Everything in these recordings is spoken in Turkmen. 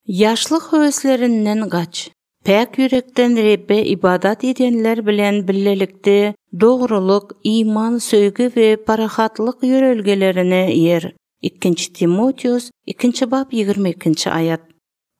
Ýaşlyk höweslerinden gaç. Päk ýürekden Rebbe ybadat edenler bilen birlelikde dogrulyk, iman, söýgi we parahatlyk ýörelgelerine eýer. Ikinji Timoteos, ikinji bap, 22-nji aýat.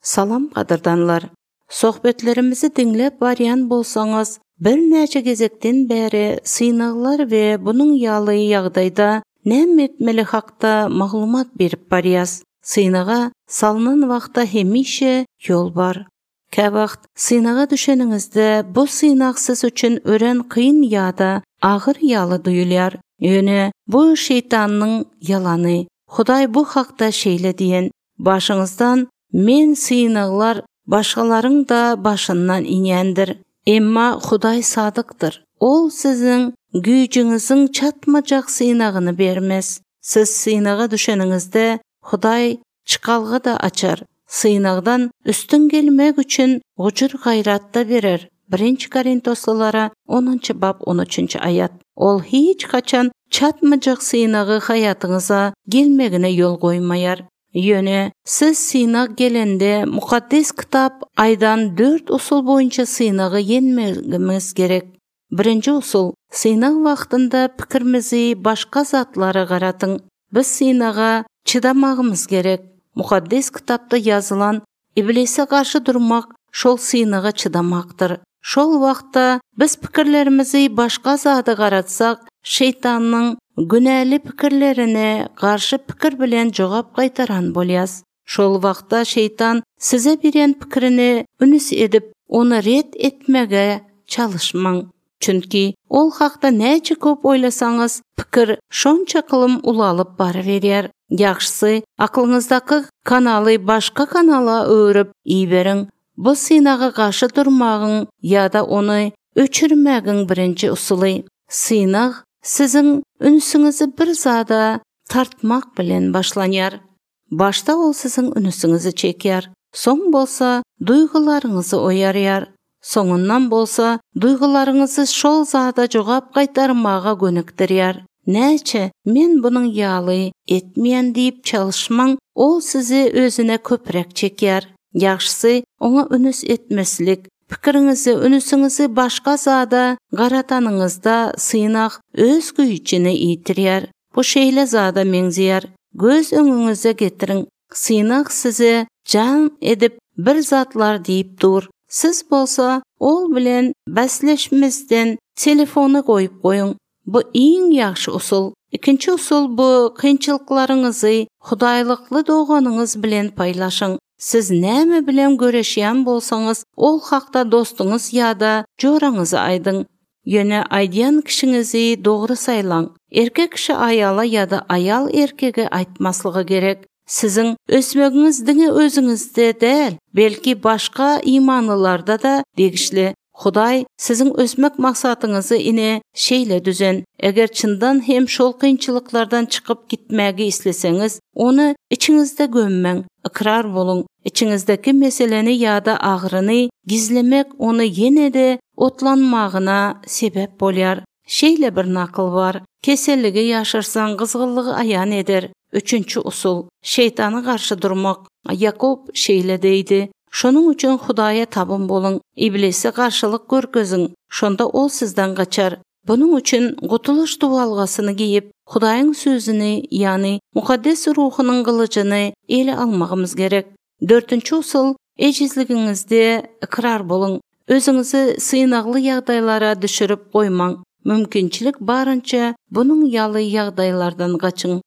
Salam gadyrdanlar! Söhbetlerimizi diňläp barýan bolsaňyz, birnäçe gezekden bäri synaglar we bunuň ýaly ýagdaýda näme etmeli hakda maglumat berip barýas. Synaga salnan wagtda hemişe ýol bar. Käwagt synaga düşeniňizde bu synag siz üçin örän kyn ýa-da agyr ýaly duýulýar. Ýöne bu şeýtanyň ýalany. Hudaý bu hakda şeýle diýen, Başyňyzdan men synaglar başgalaryň-da başyndan inýändir. Emma Hudaý sadykdyr. Ol siziň güýjüňiziň çatmajak synagyny bermez. Siz synaga düşeniňizde, Hudaý çykalga-da açar, synagdan üstün gelmek üçin gujur-gaýrat-da berer, Birinji Korintoslylara onunjy bap on üçünji aýat. Ol hiç haçan çatmajak synagy haýatyňyza gelmegine ýol goýmaýar. Ýöne siz synag gelende Mukaddes Kitap aýdan dört usul boýunça synagy ýeňmegimiz gerek. Birinji usul, synag wagtynda pikirimizi başga zatlara garatyň. Biz synaga çydamagymyz gerek. Mukaddes Kitapda ýazylan Iblise garşy durmak şol synaga çydamakdyr. Şol wagtda biz pikirlerimizi başga zada garatsak, şeýtanyň günäli pikirlerine garşy pikir bilen jogap gaýtaran bolýas. Şol wagtda şeýtan size berýän pikirini ünüs edip, ony ret etmege çalyşmaň. Çünki ol hakda näçe köp oýlasaňyz, pikir şonça kylym ulalyp baryberýär. Ýagşysy, aklyňyzdaky kanaly başga kanala öwrüp iberiň. Bu synaga garşy durmagyň ýa-da ony öçürmegiň birinji usuly. Synag siziň ünsüňizi bir zada tartmak bilen başlanýar. Başda ol siziň ünsüňizi çekýär, soň bolsa duýgularyňyzy oýarýar, soňundan bolsa duýgularyňyzy şol zada jogap gaýtarmaga gönükdirýär. Näçe men bunuň ýaly etmeýän diýip çalyşmaň, ol sizi özüne köpräk çekýär. Ýagşysy oňa ünüs etmeslik, pikiriňizi, ünsüňizi başga zada garatanyňyzda synag öz güýjüni ýitirýär. Bu şeýle zada meňzeýär, göz öňüňize getiriň, synag size jaň edip bir zatlar diýip dur, siz bolsa ol bilen bäsleşmezden telefony goýup goýuň. Bu iň ýagşy usul. Ikinji usul bu kynçylyklaryňyzy hudaýlykly doganyňyz bilen paýlaşyň. Siz näme bilen göreşýän bolsaňyz, ol hakda dostuňyz ýa-da joraňyza aýdyň. Ýöne aýdýan kişiňizi dogry saýlaň. Erkek kişi aýala ýa-da aýal erkege aýtmaslygy gerek. Siziň ösmegiňiz diňe özüňizde däl, belki başga imanlylarda-da degişli. Hudaý siziň ösmek maksadyňyzy ine şeýle düzen. Eger çyndan hem şol kynçylyklardan çykyp gitmägi isleseňiz, ony içiňizde gömmäň, ykrar boluň. Içiňizdäki meseleni ýa-da agyryny gizlemek ony ýene-de otlanmagyna sebäp bolýar. Şeýle bir nakyl bar, Keselligi ýaşyrsaň, gyzgynlygy aýan eder. Üçünji usul, şeýtana garşy durmak. Ýakup şeýle diýdi, Şonuň üçin Hudaýa tabyn boluň, Iblise garşylyk görkeziň, şonda ol sizden gaçar. Bunuň üçin gutulyş tuwalgasyny geýip, Hudaýyň Sözüni, ýagny Mukaddes Ruhunyň gylyjyny ele almagymyz gerek. Dördünji usul, ejizligiňizde ykrar boluň. Özüňizi synagly ýagdaýlara düşürip goýmaň. Mümkinçilik barynça bunuň ýaly ýagdaýlardan gaçyň.